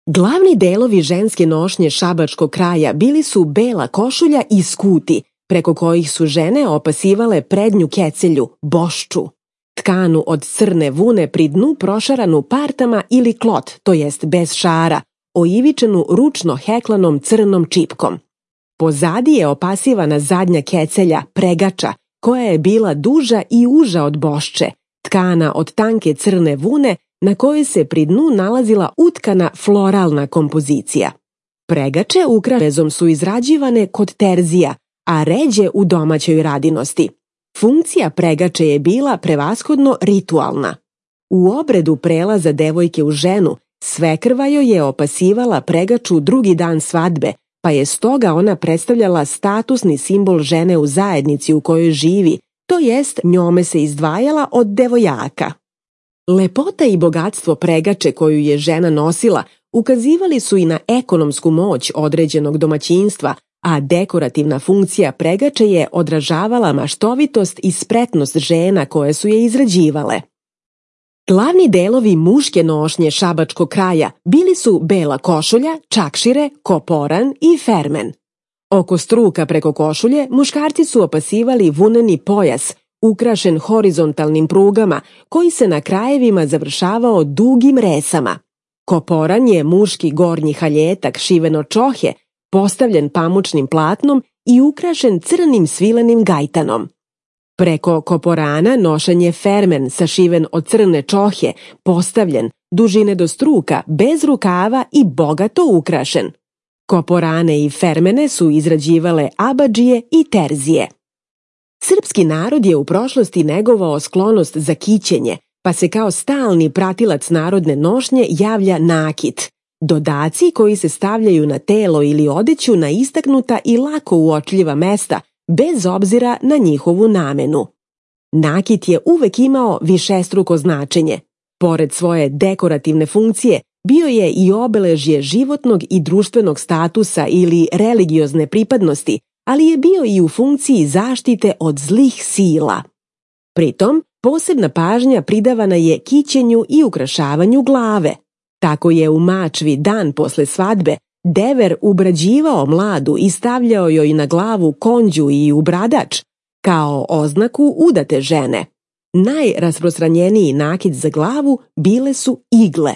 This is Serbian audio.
Glavni delovi ženske nošnje šabačkog kraja bili su bela košulja i skuti, preko kojih su žene opasivale prednju kecelju, bošču, tkanu od crne vune pri dnu prošaranu partama ili klot, to jest bez šara, oivičenu ručno heklanom crnom čipkom. Pozadi je opasivana zadnja kecelja, pregača, koja je bila duža i uža od bošče, tkana od tanke crne vune na kojoj se pri dnu nalazila utkana floralna kompozicija. Pregače ukravezom su izrađivane kod terzija, a ređe u domaćoj radinosti. Funkcija pregače je bila prevashodno ritualna. U obredu prelaza devojke u ženu, svekrva joj je opasivala pregaču drugi dan svadbe, pa je stoga ona predstavljala statusni simbol žene u zajednici u kojoj živi, to jest njome se izdvajala od devojaka. Lepota i bogatstvo pregače koju je žena nosila ukazivali su i na ekonomsku moć određenog domaćinstva, a dekorativna funkcija pregače je odražavala maštovitost i spretnost žena koje su je izrađivale. Glavni delovi muške nošnje šabačkog kraja bili su bela košulja, čakšire, koporan i fermen. Oko struka preko košulje muškarci su opasivali vuneni pojas, ukrašen horizontalnim prugama, koji se na krajevima završavao dugim resama. Koporan je muški gornji haljetak šiveno čohe, postavljen pamučnim platnom i ukrašen crnim svilenim gajtanom. Preko koporana nošen je fermen sašiven od crne čohe, postavljen, dužine do struka, bez rukava i bogato ukrašen. Koporane i fermene su izrađivale abadžije i terzije. Srpski narod je u prošlosti negovao sklonost za kićenje, pa se kao stalni pratilac narodne nošnje javlja nakit, dodaci koji se stavljaju na telo ili odeću na istaknuta i lako uočljiva mesta, bez obzira na njihovu namenu. Nakit je uvek imao višestruko značenje. Pored svoje dekorativne funkcije, bio je i obeležje životnog i društvenog statusa ili religiozne pripadnosti, ali je bio i u funkciji zaštite od zlih sila. Pritom, posebna pažnja pridavana je kićenju i ukrašavanju glave. Tako je u Mačvi dan posle svadbe dever ubrađivao mladu i stavljao joj na glavu konđu i ubradač, kao oznaku udate žene. Najrasprostranjeniji nakit za glavu bile su igle.